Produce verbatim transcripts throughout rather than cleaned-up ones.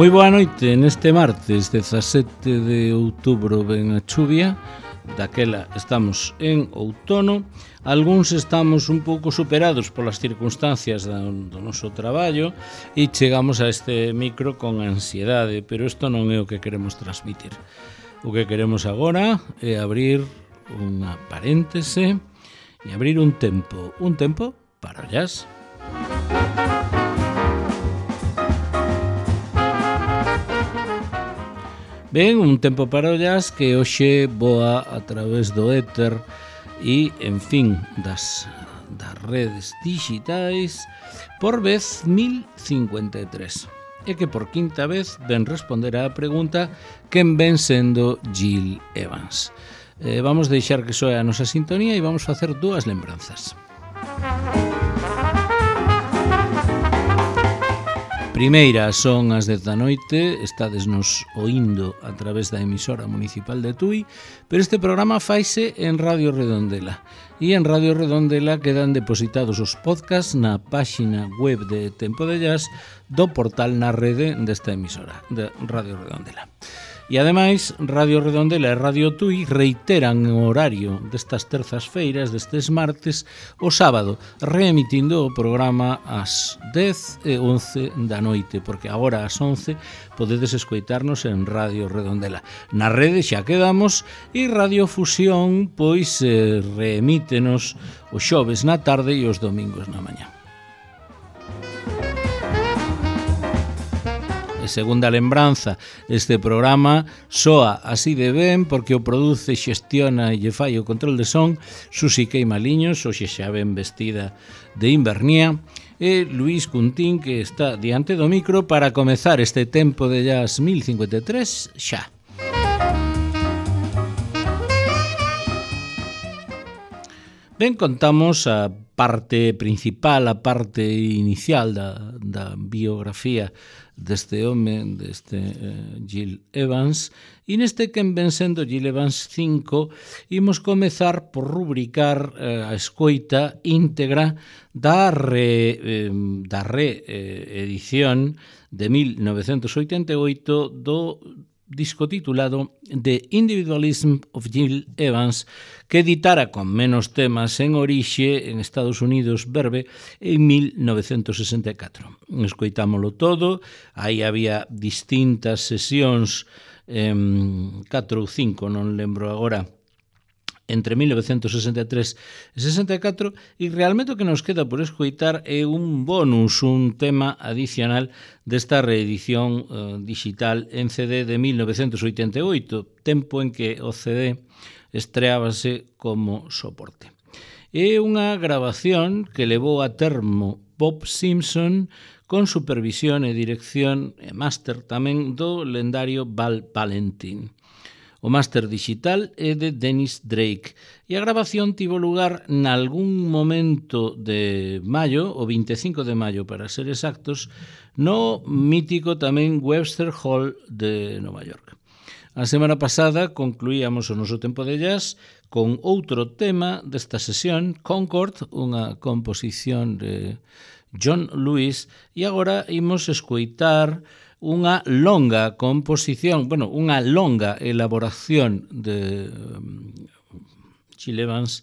Moi boa noite, neste martes dezasete de outubro ven a chuvia, daquela estamos en outono, algúns estamos un pouco superados polas circunstancias do, do noso traballo e chegamos a este micro con ansiedade, pero isto non é o que queremos transmitir. O que queremos agora é abrir unha paréntese e abrir un tempo, un tempo para o jazz. Ben, un tempo para o jazz que hoxe voa a través do éter e, en fin, das, das redes digitais por vez mil cincuenta e tres. E que por quinta vez ven responder á pregunta quen ven sendo Gil Evans. Eh, vamos deixar que soe a nosa sintonía e vamos facer dúas lembranzas. Primeira, son as dez da noite, estades nos oindo a través da emisora municipal de Tui, pero este programa faise en Radio Redondela. E en Radio Redondela quedan depositados os podcasts na páxina web de Tempo de Jazz do portal na rede desta emisora, de Radio Redondela. E ademais, Radio Redondela e Radio Tui reiteran o horario destas terzas feiras, destes martes, o sábado, reemitindo o programa ás dez e once da noite, porque agora ás once podedes escoitarnos en Radio Redondela. Na rede xa quedamos e Radio Fusión pois eh, reemítenos os xoves na tarde e os domingos na mañá. Segunda lembranza, este programa soa así de ben porque o produce, xestiona e lle fai o control de son Susi Queimaliños, hoxe xa ben vestida de invernía, e Luís Cuntín, que está diante do micro para comezar este tempo de jazz mil cincuenta e tres xa. Ben, contamos a parte principal, a parte inicial da, da biografía deste home, deste eh, Gil Evans, e neste quen ven sendo Gil Evans cinco, imos comezar por rubricar eh, a escoita íntegra da re, eh, da re eh, edición de mil novecentos oitenta e oito do disco titulado The Individualism of Gil Evans, que editara con menos temas en orixe en Estados Unidos Verve en mil novecentos sesenta e catro. Escoitámolo todo, aí había distintas sesións, eh, catro ou cinco, non lembro agora, entre mil novecentos sesenta e tres e sesenta e catro, e realmente o que nos queda por escoitar é un bonus, un tema adicional desta reedición eh, digital en C D de mil novecentos oitenta e oito, tempo en que o C D estreábase como soporte. É unha grabación que levou a termo Bob Simpson con supervisión e dirección e máster tamén do lendario Val Valentin. O máster digital é de Dennis Drake e a grabación tivo lugar nalgún momento de maio, o vinte e cinco de maio para ser exactos, no mítico tamén Webster Hall de Nova York. A semana pasada concluíamos o noso tempo de jazz con outro tema desta sesión, Concord, unha composición de John Lewis, e agora imos escoitar unha longa composición, bueno, unha longa elaboración de um, Gil Evans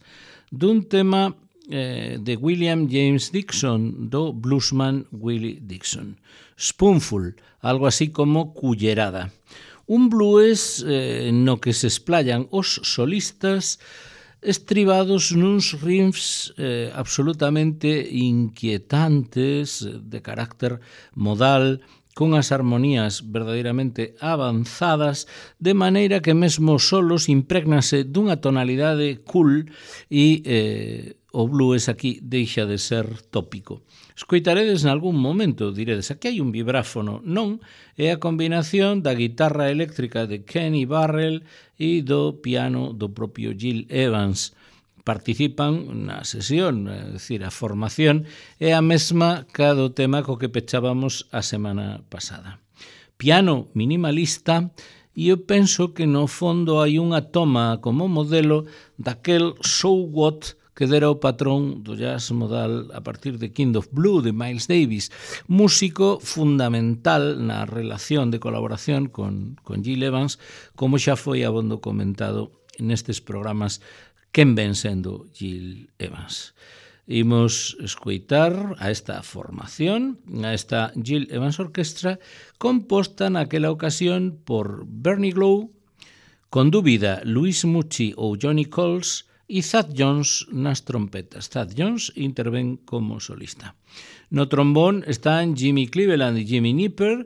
dun tema eh, de William James Dixon, do bluesman Willie Dixon. Spoonful, algo así como cullerada. Un blues eh, no que se esplayan os solistas estribados nuns riffs eh, absolutamente inquietantes, de carácter modal, con as armonías verdadeiramente avanzadas, de maneira que mesmo solos imprégnase dunha tonalidade cool e eh, o blues aquí deixa de ser tópico. Escoitaredes nalgún momento, diredes, aquí hai un vibráfono. Non, é a combinación da guitarra eléctrica de Kenny Barrell e do piano do propio Gil Evans. Participan na sesión, é dicir, a formación é a mesma ca do tema co que pechábamos a semana pasada. Piano minimalista, e eu penso que no fondo hai unha toma como modelo daquel So What que dera o patrón do jazz modal a partir de Kind of Blue, de Miles Davis, músico fundamental na relación de colaboración con, con Gil Evans, como xa foi abondo comentado nestes programas quen ven sendo Gil Evans. Imos escoitar a esta formación, a esta Gil Evans Orquestra, composta naquela ocasión por Bernie Glow, con dúbida Luis Mucci ou Johnny Coles e Thad Jones nas trompetas. Thad Jones intervén como solista. No trombón están Jimmy Cleveland e Jimmy Nipper,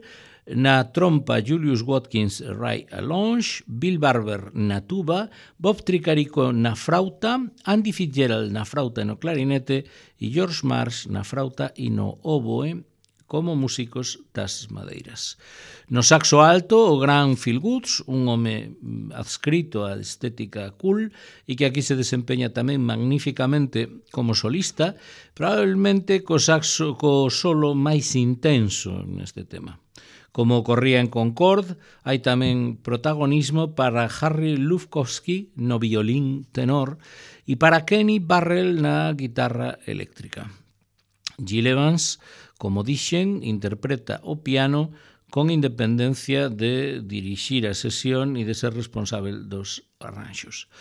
na trompa Julius Watkins e Ray Alonge, Bill Barber na tuba, Bob Tricarico na frauta, Andy Fitzgerald na frauta e no clarinete e George Marsh na frauta e no oboe como músicos das madeiras. No saxo alto, o gran Phil Woods, un home adscrito á estética cool e que aquí se desempeña tamén magníficamente como solista, probablemente co saxo co solo máis intenso neste tema. Como ocorría en Concord, hai tamén protagonismo para Harry Lufkowski no violín tenor e para Kenny Barrell na guitarra eléctrica. Gil Evans, como dixen, interpreta o piano con independencia de dirixir a sesión e de ser responsável dos arranxos.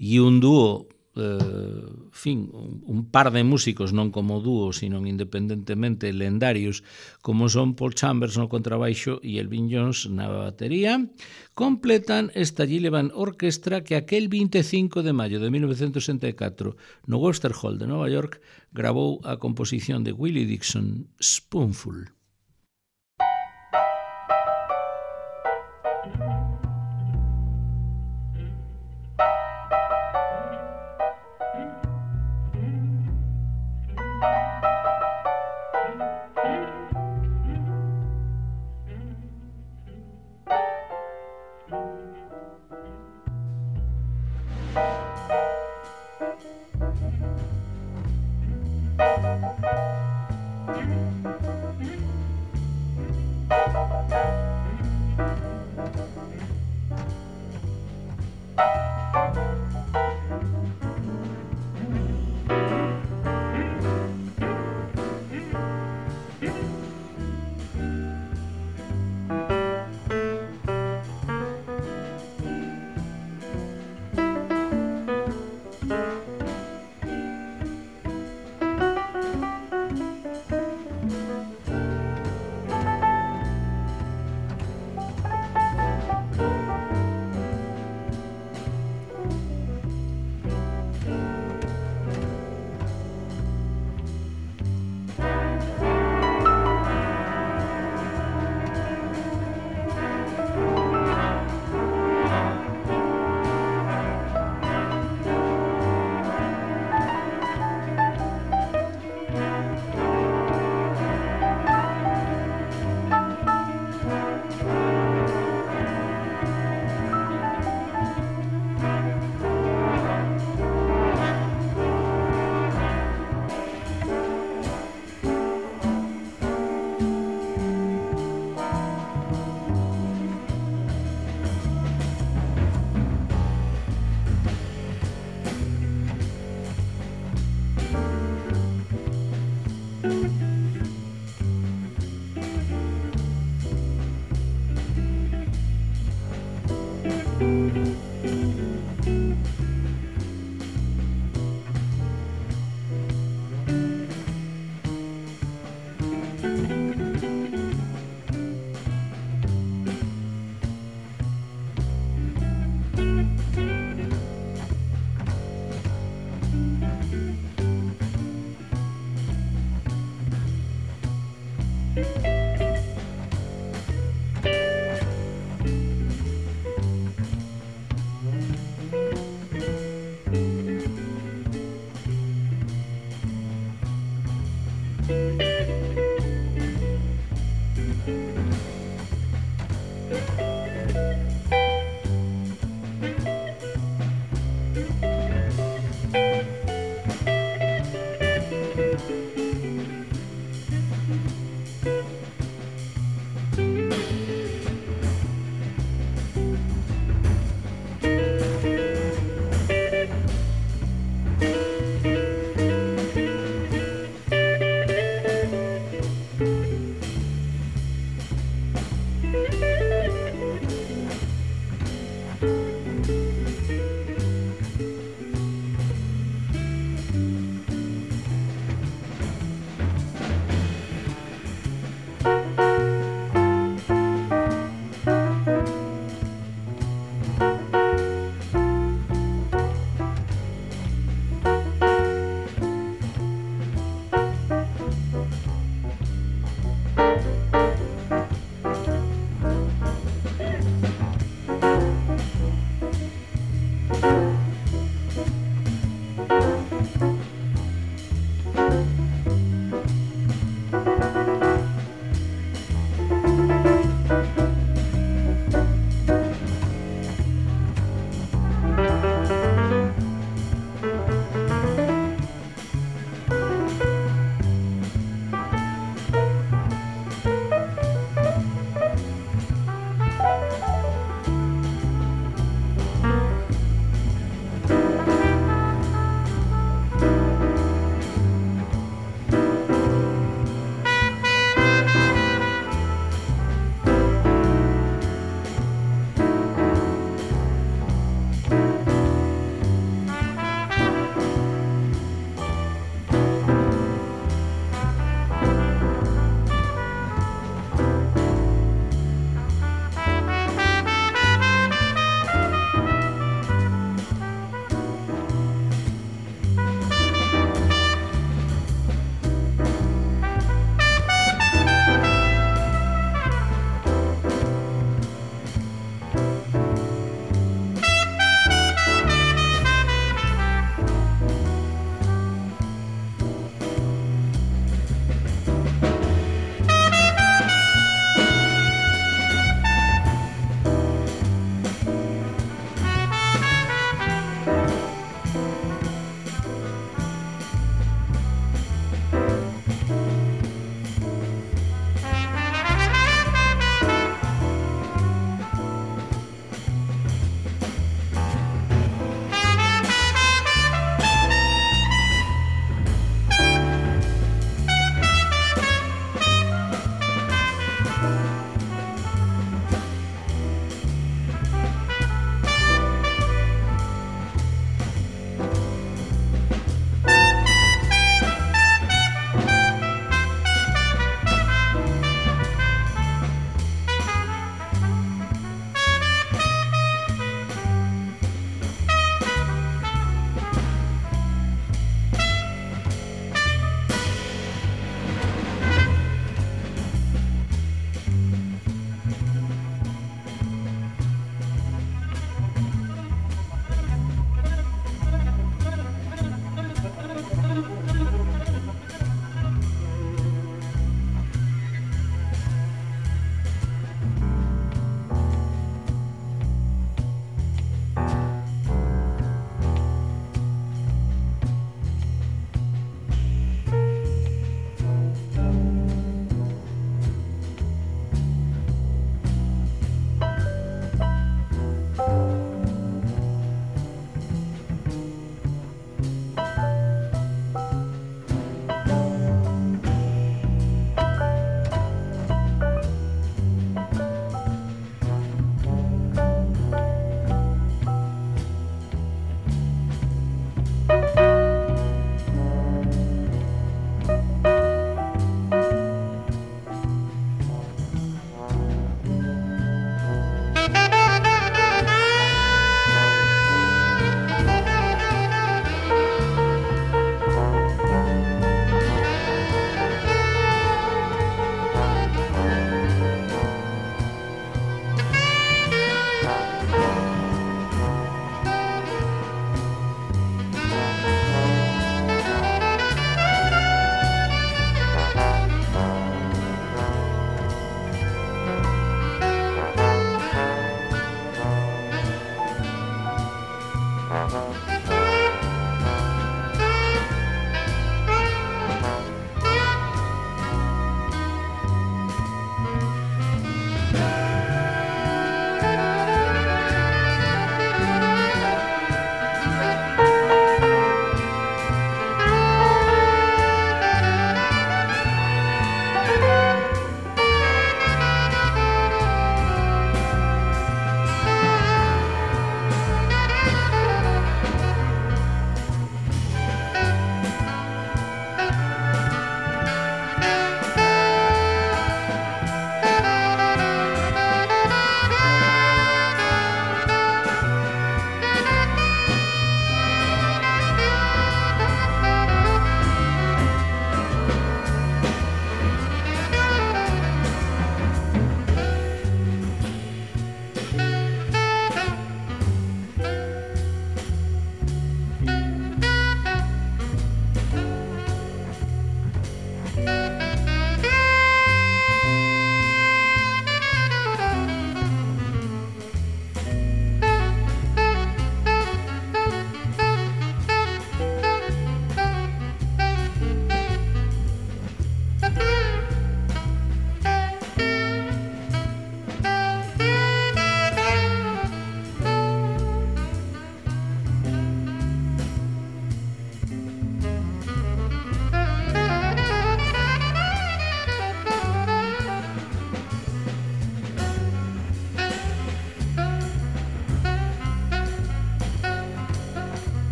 E un dúo, eh, fin, un par de músicos, non como dúo, sino independentemente lendarios, como son Paul Chambers no contrabaixo e Elvin Jones na batería, completan esta Gil Evans Orquestra que aquel vinte e cinco de maio de mil novecentos sesenta e catro no Webster Hall de Nova York grabou a composición de Willie Dixon, Spoonful.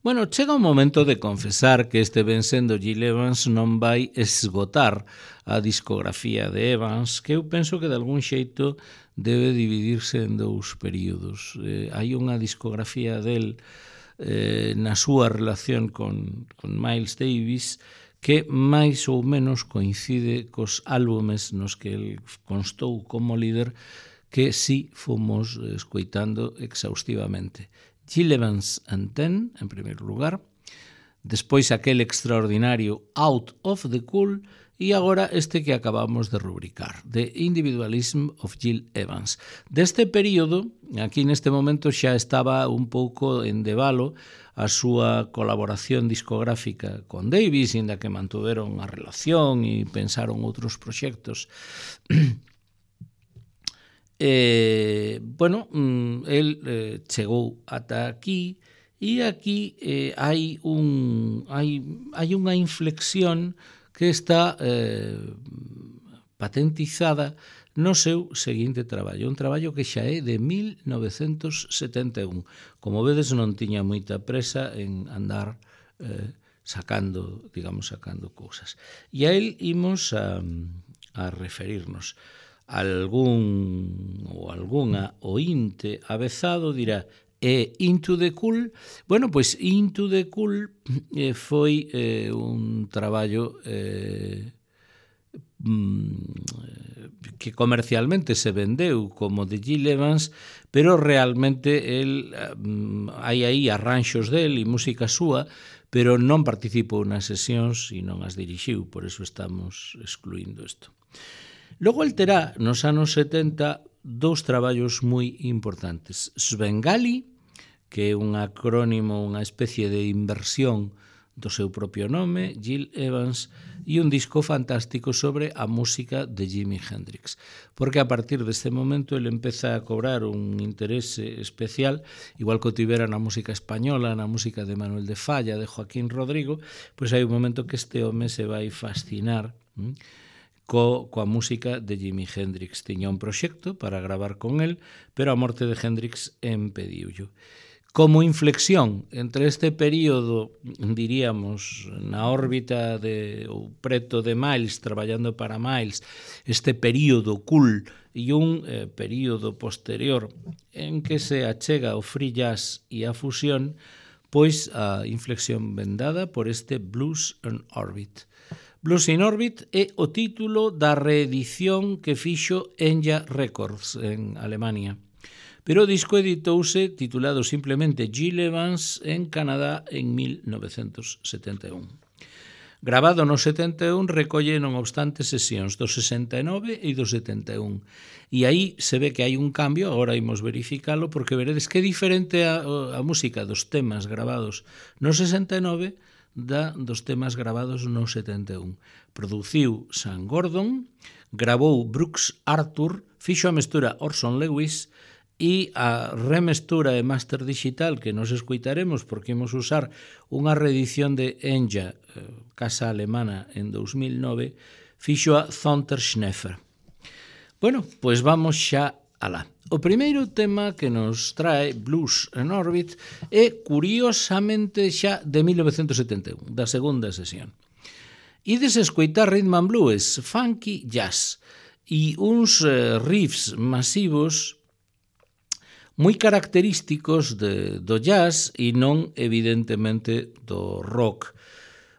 Bueno, chega un momento de confesar que este ben sendo Gil Evans non vai esgotar a discografía de Evans, que eu penso que de algún xeito debe dividirse en dous períodos. Eh, hai unha discografía del eh, na súa relación con, con Miles Davis que máis ou menos coincide cos álbumes nos que el constou como líder, que sí fomos escoitando exhaustivamente. Gil Evans and Ten, en primeiro lugar, despois aquel extraordinario Out of the Cool e agora este que acabamos de rubricar, The Individualism of Gil Evans. Deste período, aquí neste momento xa estaba un pouco en debalo a súa colaboración discográfica con Davis, inda que mantuveron a relación e pensaron outros proxectos. Eh, bueno, el eh, chegou ata aquí e aquí eh, hai un hai, hai unha inflexión que está eh, patentizada no seu seguinte traballo, un traballo que xa é de mil novecentos setenta e un. Como vedes, non tiña moita presa en andar eh, sacando, digamos, sacando cousas. E a él imos a, a referirnos. Algún ou algunha ointe avezado dirá e Into the Cool. Bueno, pois Into the Cool eh, foi eh, un traballo eh, que comercialmente se vendeu como de Gil Evans, pero realmente el, hai aí arranxos del e música súa, pero non participou nas sesións e non as dirixiu, por eso estamos excluindo isto. Logo el terá nos anos setenta dous traballos moi importantes. Svengali, que é un acrónimo, unha especie de inversión do seu propio nome, Gil Evans, e un disco fantástico sobre a música de Jimi Hendrix. Porque a partir deste momento ele empeza a cobrar un interese especial, igual que o tivera na música española, na música de Manuel de Falla, de Joaquín Rodrigo, pois hai un momento que este home se vai fascinar hm? Co, coa música de Jimi Hendrix. Tiña un proxecto para gravar con el, pero a morte de Hendrix impediuyo. Como inflexión entre este período, diríamos, na órbita de, ou preto de Miles, traballando para Miles, este período cool e un eh, período posterior en que se achega o free jazz e a fusión, pois a inflexión vendada por este Blues in Orbit. Blues in Orbit é o título da reedición que fixo Enya Records en Alemania. Pero o disco editouse titulado simplemente Gil Evans en Canadá en mil novecentos setenta e un. Gravado no setenta e un, recolle non obstante sesións do sesenta e nove e do setenta e un. E aí se ve que hai un cambio, agora imos verificalo, porque veredes que é diferente a, a música dos temas gravados no sesenta e nove da dos temas gravados no setenta e un. Produciu Sam Gordon, gravou Brooks Arthur, fixo a mestura Orson Lewis e a remestura e master digital que nos escoitaremos porque imos usar unha reedición de Enya, casa alemana, en dous mil nove, fixo a Thunter Schneffer. Bueno, pois vamos xa alá. O primeiro tema que nos trae Blues in Orbit é curiosamente xa de mil novecentos setenta e un, da segunda sesión. Ides escoitar rhythm and blues, funky jazz e uns riffs masivos moi característicos de, do jazz e non evidentemente do rock.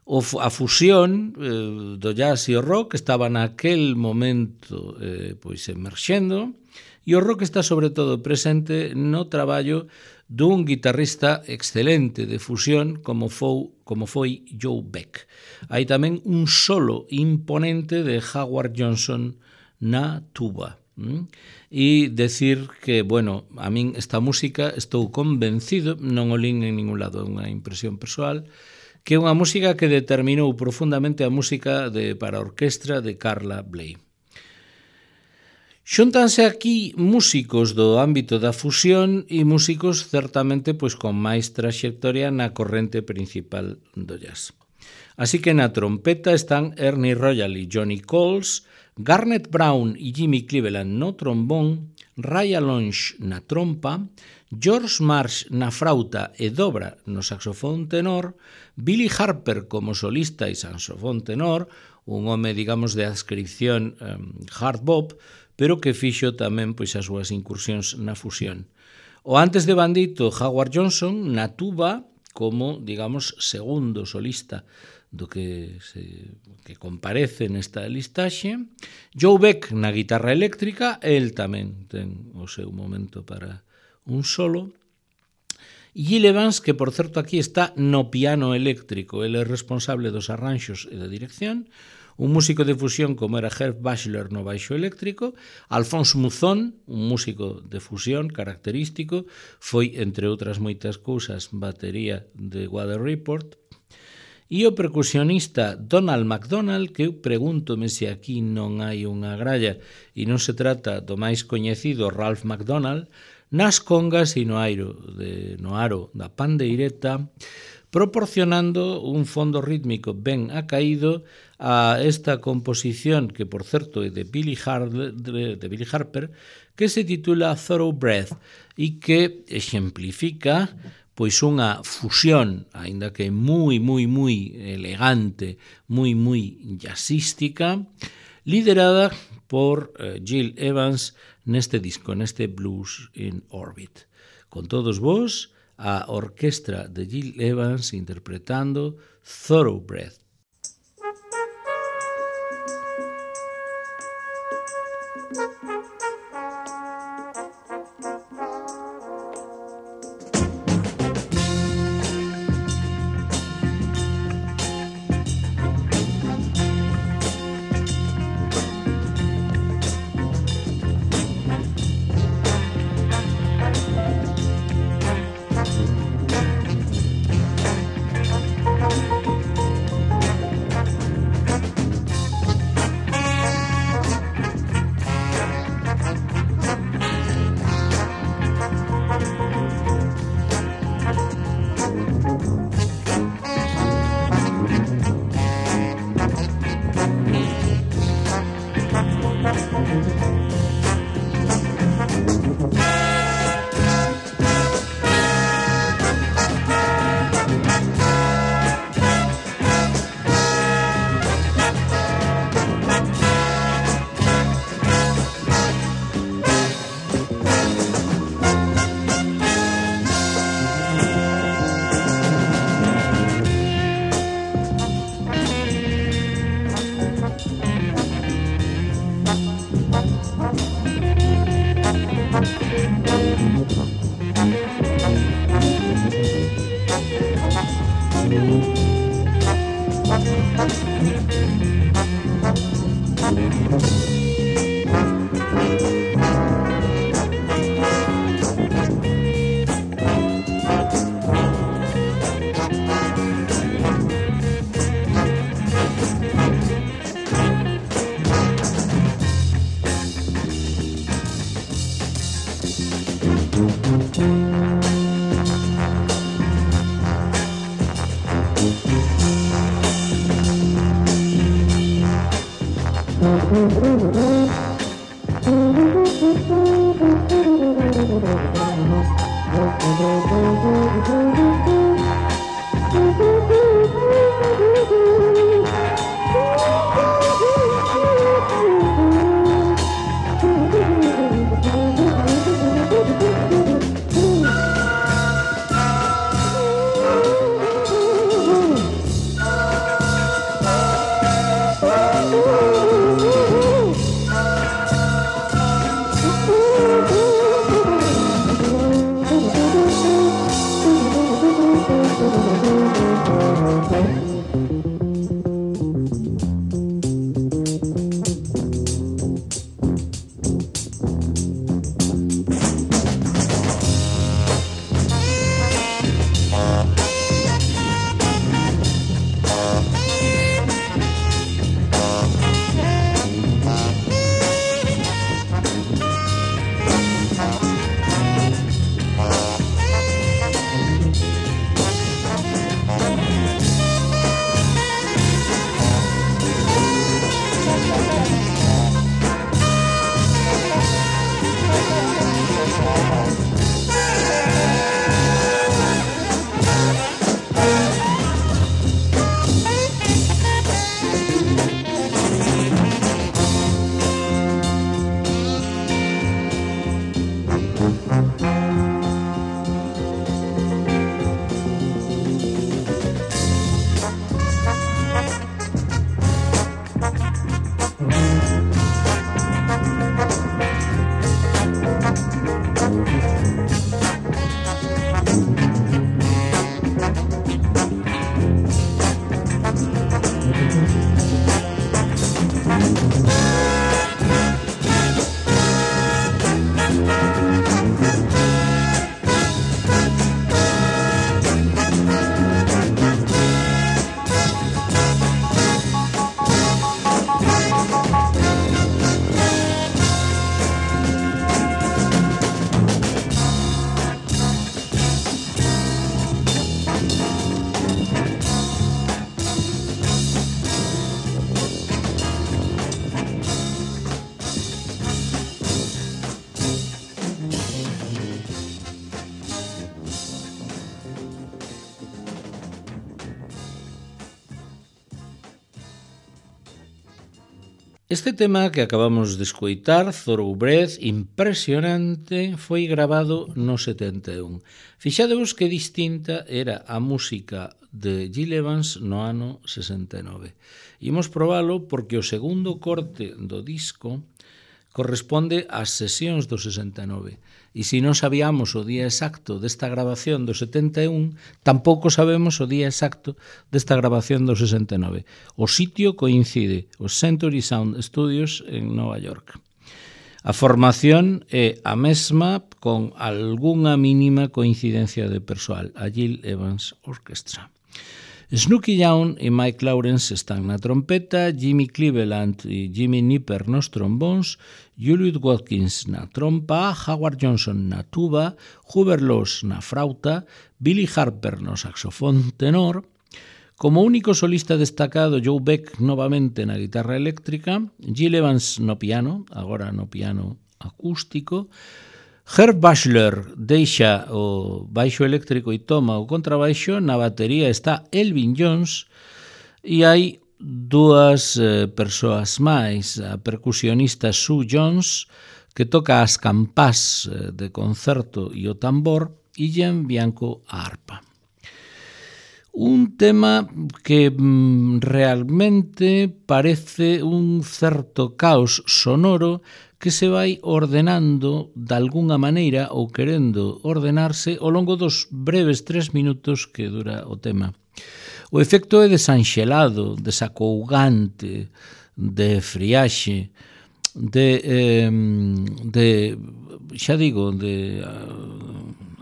O, a fusión eh, do jazz e o rock estaba naquel momento eh, pois emerxendo, e o rock está sobre todo presente no traballo dun guitarrista excelente de fusión como foi, como foi Joe Beck. Hai tamén un solo imponente de Howard Johnson na tuba. ¿Mm? E decir que, bueno, a min esta música estou convencido, non o lin en ningún lado, é unha impresión persoal, que é unha música que determinou profundamente a música de, para a orquestra de Carla Bley. Xúntanse aquí músicos do ámbito da fusión e músicos certamente pois con máis traxectoria na corrente principal do jazz. Así que na trompeta están Ernie Royal e Johnny Coles, Garnet Brown e Jimmy Cleveland no trombón, Ray Alonge na trompa, George Marsh na frauta e dobra no saxofón tenor, Billy Harper como solista e saxofón tenor, un home, digamos, de adscripción um, hard bop, pero que fixo tamén pois as súas incursións na fusión. O antes de Bandito, Howard Johnson, na tuba, como, digamos, segundo solista do que se que comparece nesta listaxe. Joe Beck na guitarra eléctrica, el tamén ten o seu momento para un solo. Gil Evans, que por certo aquí está no piano eléctrico, ele é responsable dos arranxos e da dirección. Un músico de fusión como era Herb Bachelor no baixo eléctrico. Alphonse Mouzon, un músico de fusión característico, foi, entre outras moitas cousas, batería de Weather Report. E o percusionista Donald McDonald, que eu pregúntome se aquí non hai unha gralla e non se trata do máis coñecido Ralph McDonald, nas congas e no aro, de, no aro da pandeireta, proporcionando un fondo rítmico ben acaído a esta composición, que por certo é de Billy, Har- de, de Billy Harper, que se titula Thoroughbred e que exemplifica pois unha fusión, aínda que moi, moi, moi elegante, moi, moi jazzística, liderada por uh, Gil Evans neste disco, neste Blues in Orbit. Con todos vos, a orquestra de Gil Evans interpretando Thoroughbred. Este tema que acabamos de escoitar, Thoroughbred, impresionante, foi grabado no setenta e un. Fixadevos que distinta era a música de Gil Evans no ano sesenta e nove. Imos probalo porque o segundo corte do disco corresponde ás sesións do sesenta e nove. E se non sabíamos o día exacto desta grabación do setenta e un, tampouco sabemos o día exacto desta grabación do sesenta e nove. O sitio coincide, os Century Sound Studios en Nova York. A formación é a mesma con algunha mínima coincidencia de persoal, a Gil Evans Orchestra. Snooky Young e Mike Lawrence están na trompeta, Jimmy Cleveland e Jimmy Nipper nos trombóns, Julius Watkins na trompa, Howard Johnson na tuba, Hubert Laws na frauta, Billy Harper no saxofón tenor, como único solista destacado Joe Beck novamente na guitarra eléctrica, Gil Evans no piano, agora no piano acústico, Herb Bachelor deixa o baixo eléctrico e toma o contrabaixo, na batería está Elvin Jones e hai dúas eh, persoas máis, a percusionista Sue Jones, que toca as campás eh, de concerto e o tambor, e Ian Bianco a arpa. Un tema que mm, realmente parece un certo caos sonoro que se vai ordenando de algunha maneira ou querendo ordenarse ao longo dos breves tres minutos que dura o tema. O efecto é desanxelado, desacougante, de friaxe, de, eh, de xa digo, de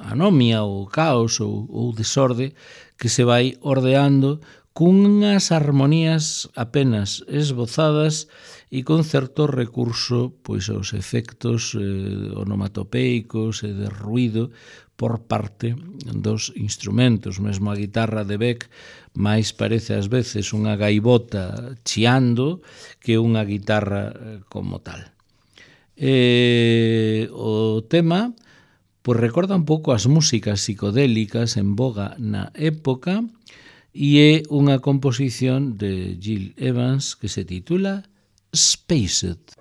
anomia ou caos ou, ou desorde que se vai ordeando cunhas armonías apenas esbozadas e con certo recurso pois aos efectos eh, onomatopeicos e de ruído por parte dos instrumentos. Mesmo a guitarra de Beck máis parece ás veces unha gaivota chiando que unha guitarra eh, como tal. Eh, o tema pois recorda un pouco as músicas psicodélicas en voga na época e é unha composición de Gil Evans que se titula Spaced.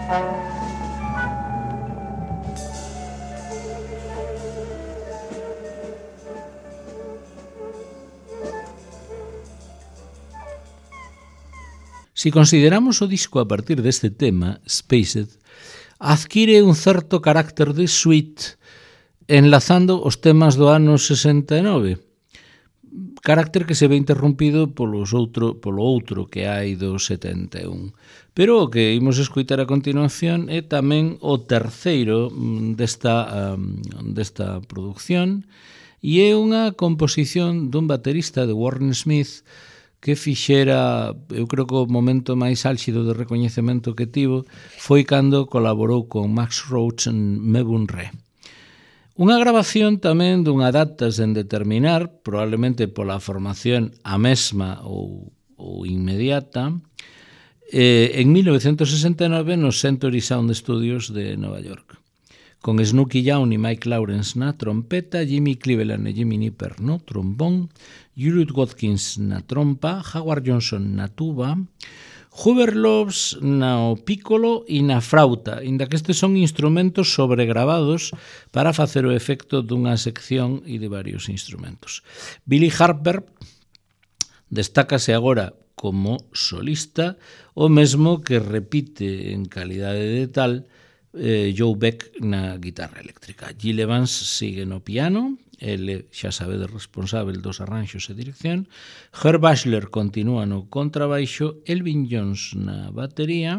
Si consideramos o disco a partir deste tema, Spaced, adquire un certo carácter de suite enlazando os temas do ano sesenta e nove, carácter que se ve interrompido polos outro, polo outro que hai do setenta e un. Pero o que imos escoitar a continuación é tamén o terceiro desta, um, desta produción e é unha composición dun baterista de Warren Smith que fixera, eu creo que o momento máis álxido de recoñecemento que tivo foi cando colaborou con Max Roach en Mebun Re. Unha grabación tamén dunha data sen determinar, probablemente pola formación a mesma ou, ou inmediata, eh, en mil novecentos sesenta e nove nos Century Sound Studios de Nova York, con Snooky Young e Mike Lawrence na trompeta, Jimmy Cleveland e Jimmy Nipper no trombón, Juliet Watkins na trompa, Howard Johnson na tuba, Hoover Loves na piccolo e na frauta, inda que estes son instrumentos sobregravados para facer o efecto dunha sección e de varios instrumentos. Billy Harper destácase agora como solista, o mesmo que repite en calidade de tal eh, Joe Beck na guitarra eléctrica. Gil Evans sigue no piano, ele xa sabe de responsável dos arranxos e dirección, Herb Bachelor continúa no contrabaixo, Elvin Jones na batería,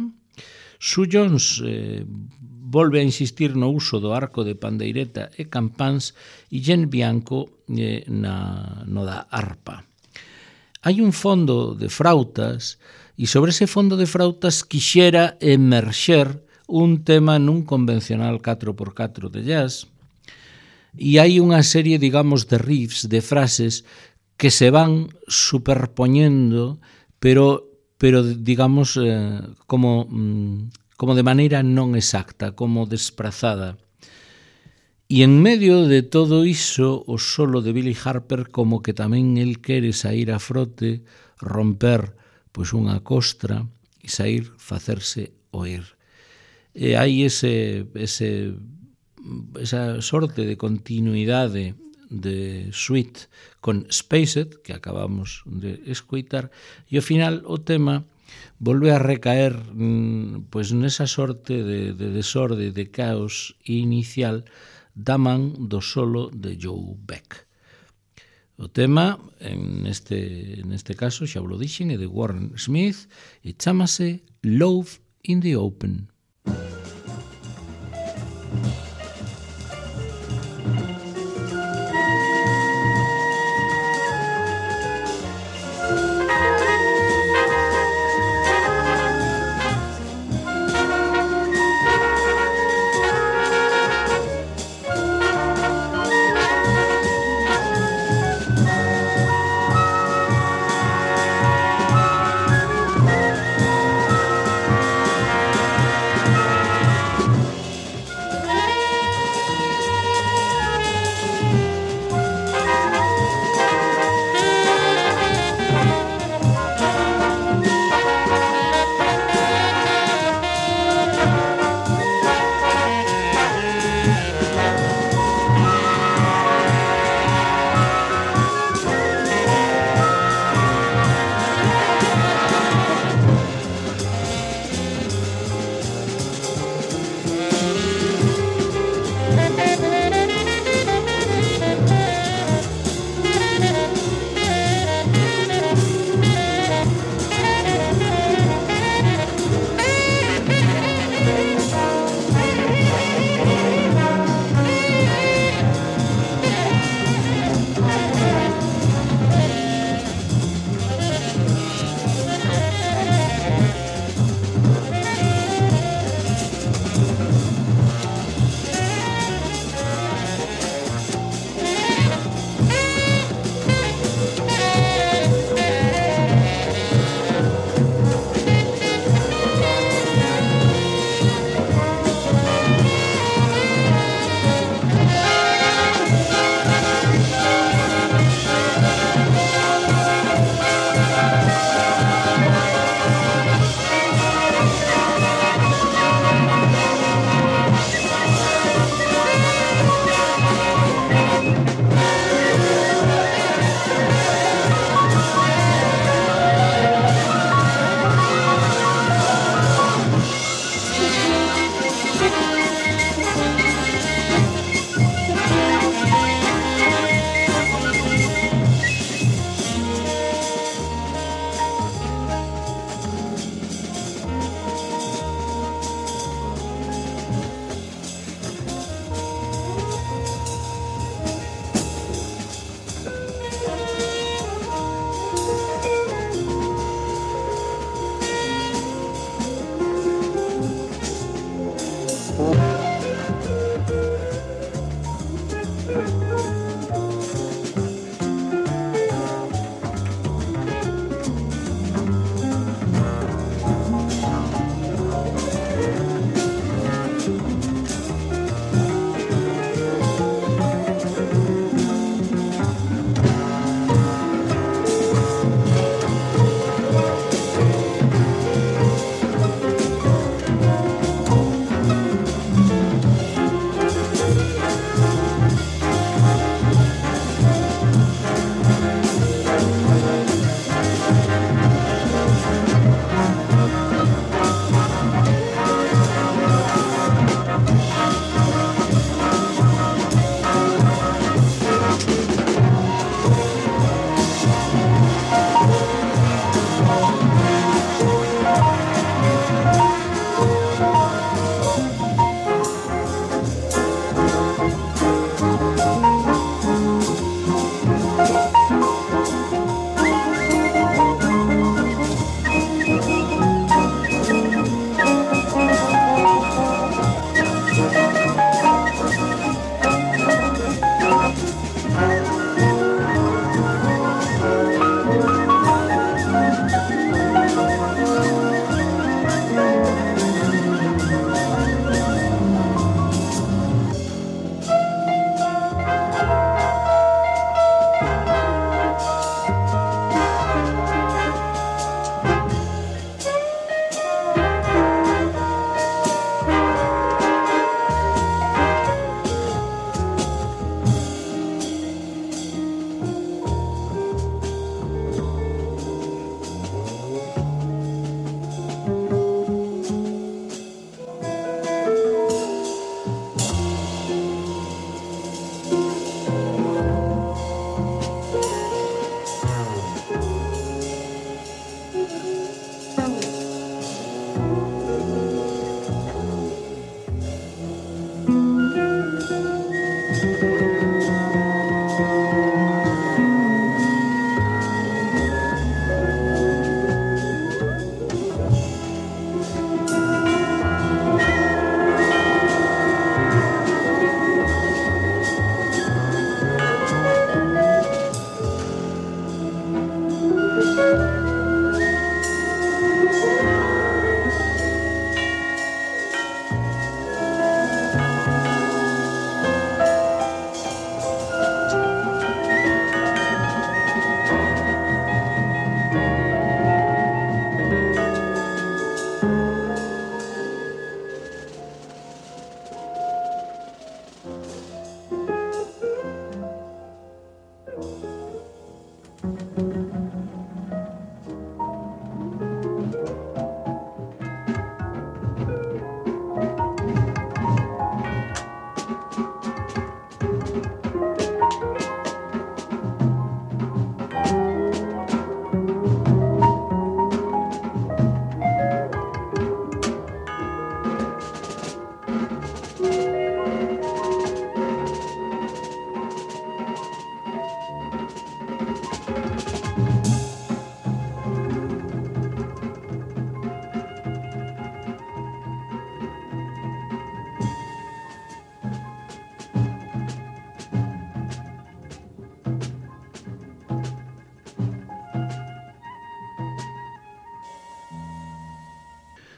Sue Jones eh, volve a insistir no uso do arco de pandeireta e campáns e Jen Bianco eh, na, no da arpa. Hai un fondo de frautas e sobre ese fondo de frautas quixera emerxer un tema nun convencional catro por catro de jazz, e hai unha serie, digamos, de riffs, de frases que se van superpoñendo, pero, pero digamos, eh, como, como de maneira non exacta, como desprazada. E en medio de todo iso, o solo de Billy Harper como que tamén el quere sair a frote, romper pois unha costra e sair, facerse oír. E hai ese... ese esa sorte de continuidade de suite con Spaced, que acabamos de escoitar, e ao final o tema volve a recaer pois nesa sorte de, de desorde, de caos inicial da man do solo de Joe Beck. O tema, en este, neste caso, xa vos dixen, é de Warren Smith e chámase Love in the Open.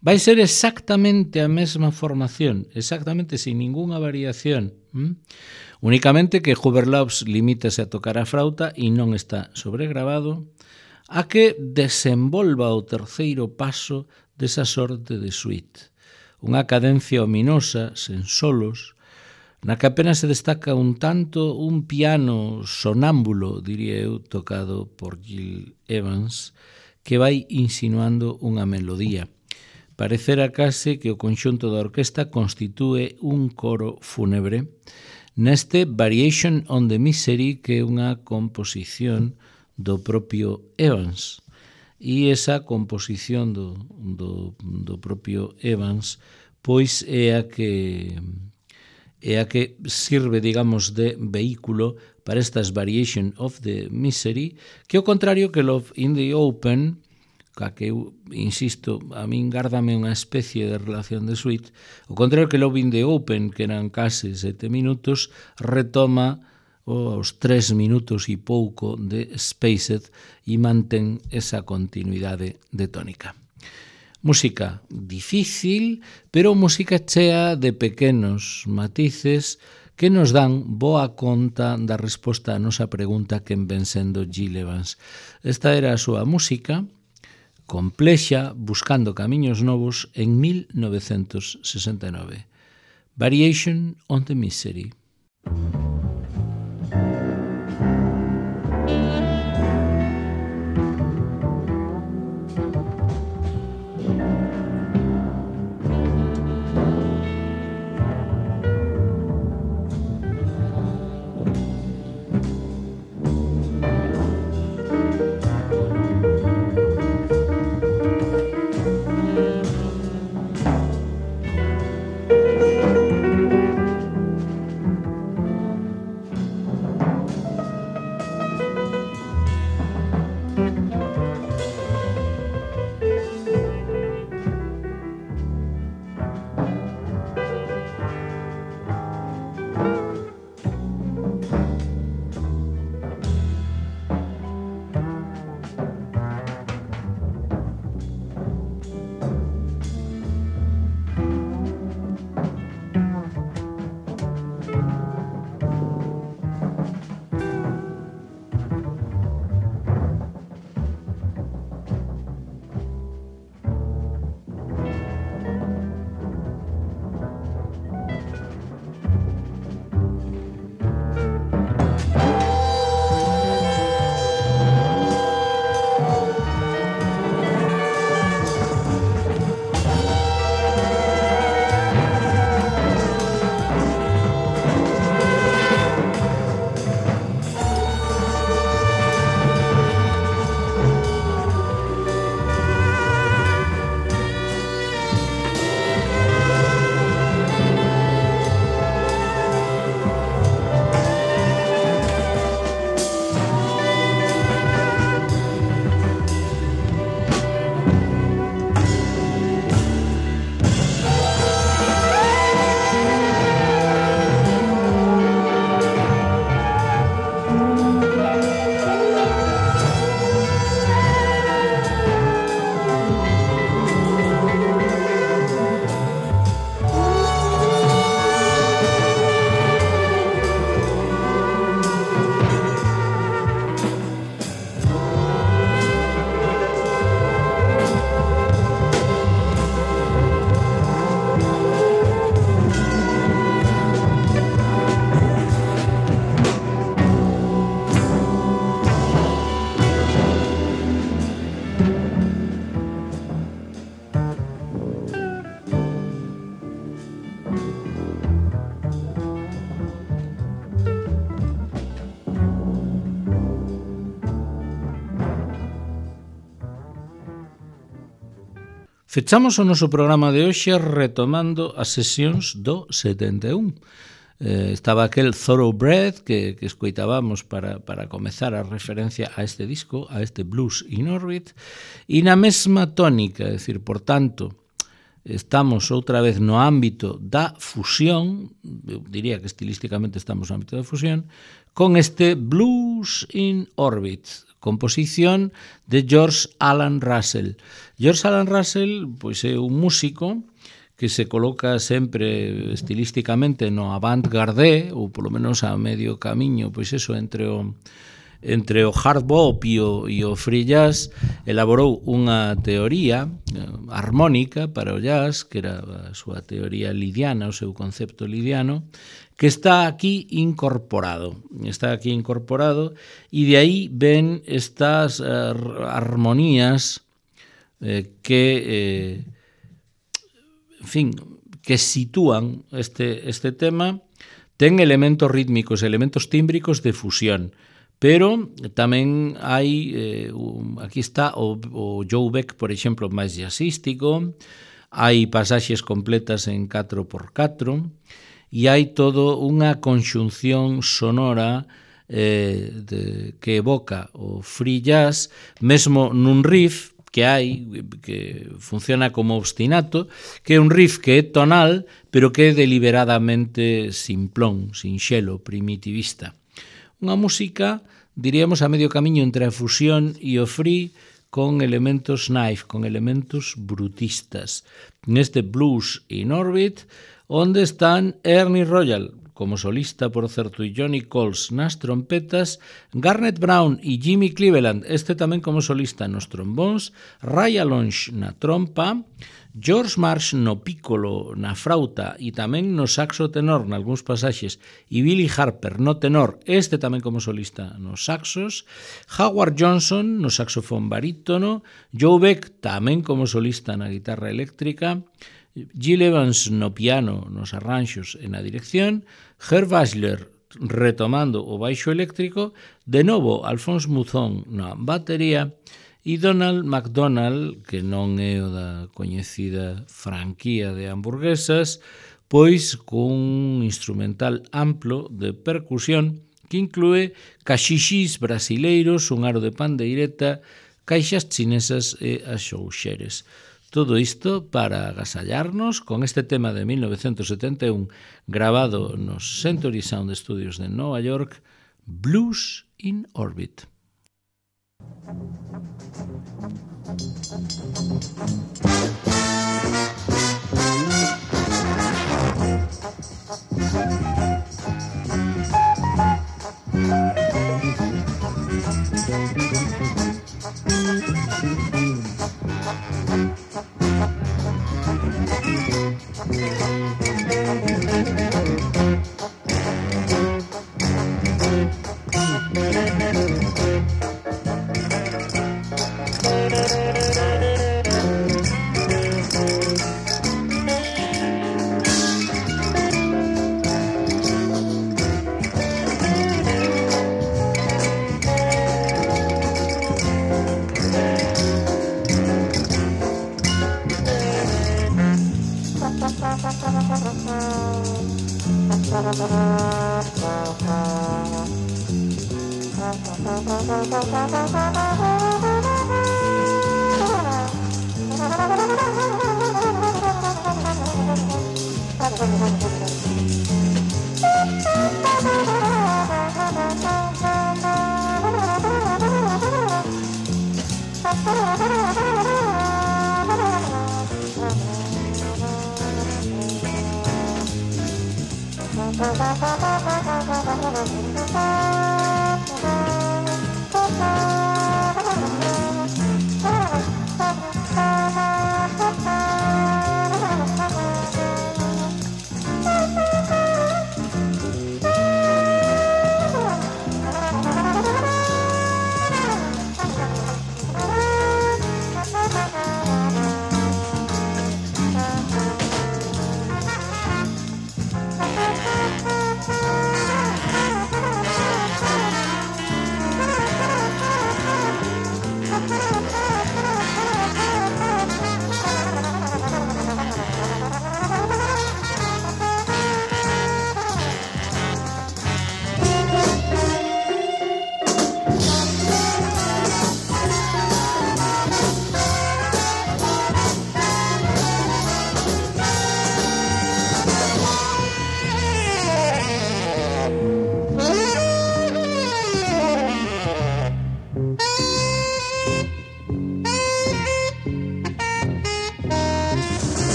vai ser exactamente a mesma formación, exactamente sin ningunha variación. ¿Mm? Únicamente que Hubert Laws limítase a tocar a frauta e non está sobregrabado, a que desenvolva o terceiro paso desa sorte de suite. Unha cadencia ominosa, sen solos, na que apenas se destaca un tanto un piano sonámbulo, diría eu, tocado por Gil Evans, que vai insinuando unha melodía. Parecera case que o conxunto da orquesta constitúe un coro fúnebre neste Variation on the Misery, que é unha composición do propio Evans. E esa composición do, do, do propio Evans pois é a que é a que sirve, digamos, de vehículo para estas Variation of the Misery, que ao contrario que Love in the Open, ca que eu, insisto, a min gárdame unha especie de relación de suite, ao contrario que Love in the Open, que eran case sete minutos, retoma os tres minutos e pouco de Spaced e mantén esa continuidade de tónica. Música difícil, pero música chea de pequenos matices que nos dan boa conta da resposta a nosa pregunta quen ven sendo Gil Evans. Esta era a súa música, complexa, buscando camiños novos en mil novecentos sesenta e nove. Variation on the Misery. Fechamos o noso programa de hoxe retomando as sesións do setenta e un. Eh, estaba aquel Thoroughbred que, que escoitábamos para, para comezar a referencia a este disco, a este Blues in Orbit, e na mesma tónica, é dicir, por tanto, estamos outra vez no ámbito da fusión, eu diría que estilísticamente estamos no ámbito da fusión, con este Blues in Orbit, composición de George Alan Russell. George Alan Russell pois é un músico que se coloca sempre estilísticamente no avant-garde, ou polo menos a medio camiño, pois eso, entre o entre o hard bop e o, e o free jazz. Elaborou unha teoría eh, armónica para o jazz, que era a súa teoría lidiana, o seu concepto lidiano, que está aquí incorporado. Está aquí incorporado e de aí ven estas uh, armonías eh, que, eh, en fin, que sitúan este, este tema. Ten elementos rítmicos, elementos tímbricos de fusión, pero tamén hai, eh, un, aquí está o, o Joe Beck, por exemplo, máis jazzístico, hai pasaxes completas en catro por catro, e hai todo unha conxunción sonora eh, de, que evoca o free jazz, mesmo nun riff que hai, que funciona como obstinato, que é un riff que é tonal, pero que é deliberadamente simplón, sinxelo, primitivista. Unha música, diríamos, a medio camiño entre a fusión e o free, con elementos knife, con elementos brutistas. Neste Blues in Orbit, onde están Ernie Royal, como solista, por certo, e Johnny Coles nas trompetas, Garnet Brown e Jimmy Cleveland, este tamén como solista nos trombóns, Ray Alonge na trompa, George Marsh no piccolo, na frauta e tamén no saxo tenor nalgúns pasaxes, e Billy Harper no tenor, este tamén como solista nos saxos, Howard Johnson no saxofón barítono, Joe Beck tamén como solista na guitarra eléctrica, Gil Evans no piano, nos arranxos e na dirección, Herb Asler retomando o baixo eléctrico, de novo Alphonse Mouzon na batería, e Donald McDonald, que non é o da coñecida franquía de hamburguesas, pois cun instrumental amplo de percusión que inclúe caxixis brasileiros, un aro de pandeireta, caixas chinesas e axouxeres. Todo isto para agasallarnos con este tema de mil novecentos setenta e un grabado nos Century Sound Studios de Nova York, Blues in Orbit.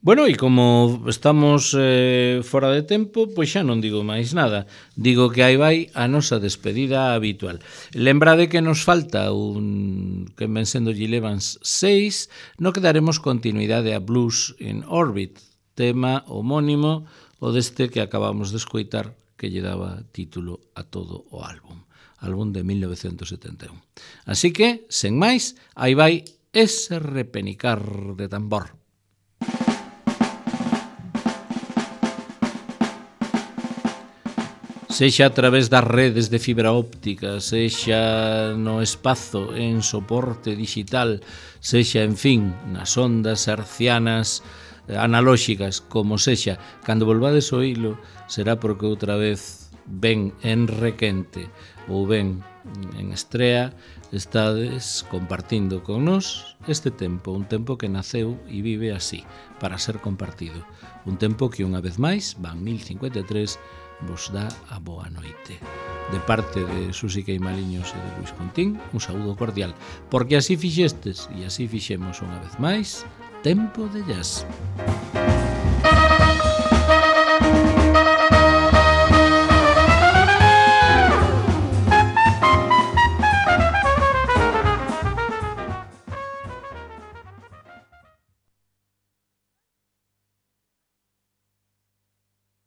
Bueno, e como estamos eh, fora de tempo, pois xa non digo máis nada. Digo que aí vai a nosa despedida habitual. Lembrade que nos falta un que ven sendo Gil Evans seis, no que daremos continuidade a Blues in Orbit, tema homónimo o deste que acabamos de escoitar, que lle daba título a todo o álbum. Álbum de mil novecentos setenta e un. Así que, sen máis, aí vai ese repenicar de tambor. Sexa a través das redes de fibra óptica, sexa no espazo en soporte digital, sexa, en fin, nas ondas hercianas analóxicas, como sexa, cando volvades o hilo, será porque outra vez ben en requente ou ben en estrea, estades compartindo con nós este tempo, un tempo que naceu e vive así, para ser compartido. Un tempo que unha vez máis, van mil cincuenta e tres, vos dá a boa noite. De parte de Susi Queimaliños e de Luis Contín, un saúdo cordial, porque así fixestes e así fixemos unha vez máis Tempo de Jazz.